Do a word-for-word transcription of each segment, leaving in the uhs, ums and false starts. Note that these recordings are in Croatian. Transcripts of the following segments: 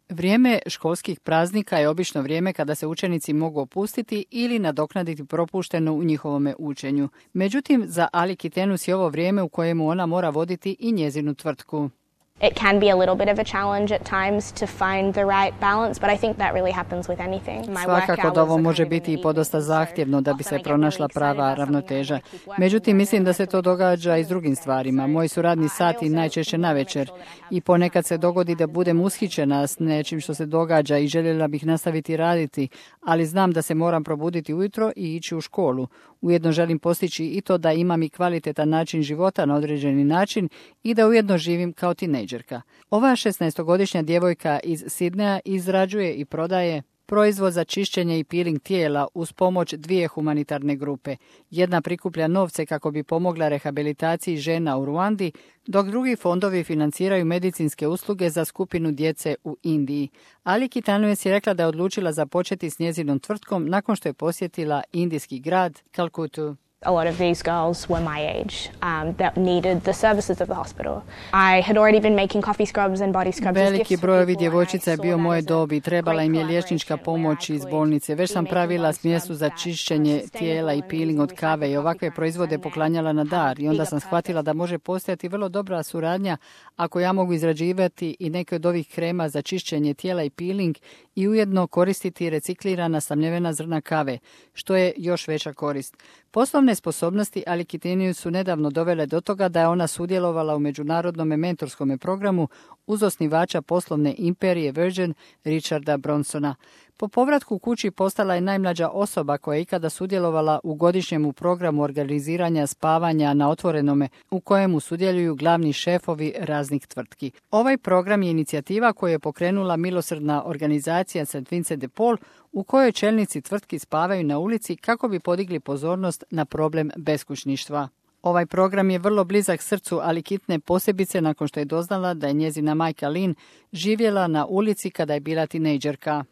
Vrijeme školskih praznika je obično vrijeme kada se učenici mogu opustiti ili nadoknaditi propušteno u njihovome učenju. Međutim, za Ali Kitenus je ovo vrijeme u kojemu ona mora voditi i njezinu tvrtku. It can be a little bit of a challenge at times to find the right balance, but I think that really happens with anything. My Svakako da ovo može biti i podosta zahtjevno da bi se pronašla prava ravnoteža. Međutim, mislim da se to događa i s drugim stvarima. Moji su radni sati najčešće navečer i ponekad se dogodi da budem ushićena s nečim što se događa i željela bih nastaviti raditi, ali znam da se moram probuditi ujutro i ići u školu. Ujedno želim postići i to da imam i kvalitetan način života na određeni način i da ujedno živim kao tinejdžerka. Ova šesnaestogodišnja djevojka iz Sidneja izrađuje i prodaje proizvod za čišćenje i peeling tijela uz pomoć dvije humanitarne grupe. Jedna prikuplja novce kako bi pomogla rehabilitaciji žena u Ruandi, dok drugi fondovi financiraju medicinske usluge za skupinu djece u Indiji. Ali Kitenus je rekla da je odlučila započeti s njezinom tvrtkom nakon što je posjetila indijski grad Kalkutu. A lot of these girls were my age um, that needed the services of the hospital. I had already been making coffee scrubs and body scrubs. Veliki broj ovih djevojčica je bio moje dobi. Trebala im je liječnička pomoć iz bolnice. Već sam pravila smjesu za čišćenje tijela i peeling od kave i ovakve proizvode poklanjala na dar. I onda sam shvatila da može postojati vrlo dobra suradnja ako ja mogu izrađivati i neke od ovih krema za čišćenje tijela i peeling i ujedno koristiti reciklirana samljevena zrna kave, što je još veća korist. Poslovne sposobnosti Ali Kitenus su nedavno dovele do toga da je ona sudjelovala u međunarodnom mentorskom programu uz osnivača poslovne imperije Virgin Richarda Bronsona. Po povratku kući postala je najmlađa osoba koja je ikada sudjelovala u godišnjem programu organiziranja spavanja na otvorenome u kojemu sudjeluju glavni šefovi raznih tvrtki. Ovaj program je inicijativa koju je pokrenula milosrdna organizacija Saint Vincent de Paul u kojoj čelnici tvrtki spavaju na ulici kako bi podigli pozornost na problem beskućništva. Ovaj program je vrlo blizak srcu Ali Kitne, posebice nakon što je doznala da je njezina majka Lynn živjela na ulici kada je bila tinejdžerka.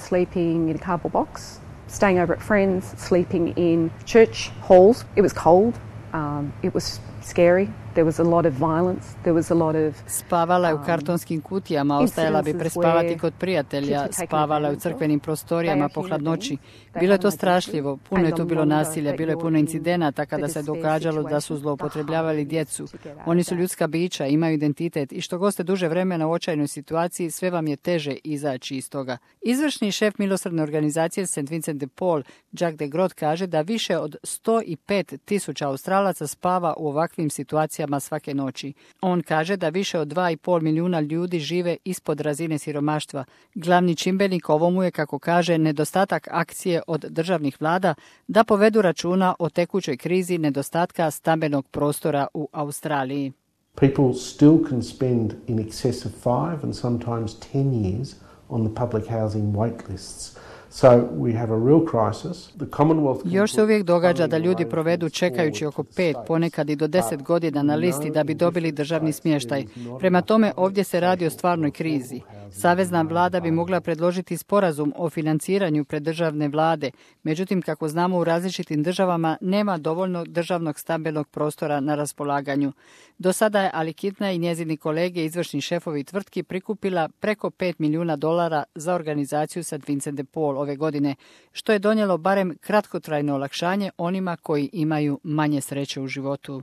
Sleeping in a cardboard box, staying over at friends, sleeping in church halls. It was cold, um, it was scary. There was a lot of violence. There was a lot of Spavala je u kartonskim kutijama, ostajala bi prespavati kod prijatelja, spavala je u crkvenim prostorijama po hladnoći. Bilo je to strašljivo, puno je tu bilo nasilja, bilo je puno incidenata kada se događalo da su zloupotrebljavali djecu. Oni su ljudska bića, imaju identitet i što god ste duže vremena u očajnoj situaciji, sve vam je teže izaći iz toga. Izvršni šef milosrdne organizacije Saint Vincent de Paul, Jack de Groot, kaže da više od sto pet tisuća Australaca spava u ovakvim situacijama svake noći. On kaže da više od dva i pol milijuna ljudi žive ispod razine siromaštva. Glavni čimbenik ovomu je, kako kaže, nedostatak akcije od državnih vlada da povedu računa o tekućoj krizi nedostatka stambenog prostora u Australiji. People still can spend in excess of five and sometimes ten years on the public housing wait lists. So we have a real crisis. The Commonwealth Još se uvijek događa da ljudi provedu čekajući oko pet, ponekad i do deset godina na listi da bi dobili državni smještaj. Prema tome, ovdje se radi o stvarnoj krizi. Savezna vlada bi mogla predložiti sporazum o financiranju preddržavne vlade, međutim, kako znamo, u različitim državama nema dovoljno državnog stambenog prostora na raspolaganju. Do sada je Ali Kitna i njezini kolege, izvršni šefovi tvrtki, prikupila preko pet milijuna dolara za organizaciju Saint Vincent de Paul ove godine, što je donijelo barem kratkotrajno olakšanje onima koji imaju manje sreće u životu.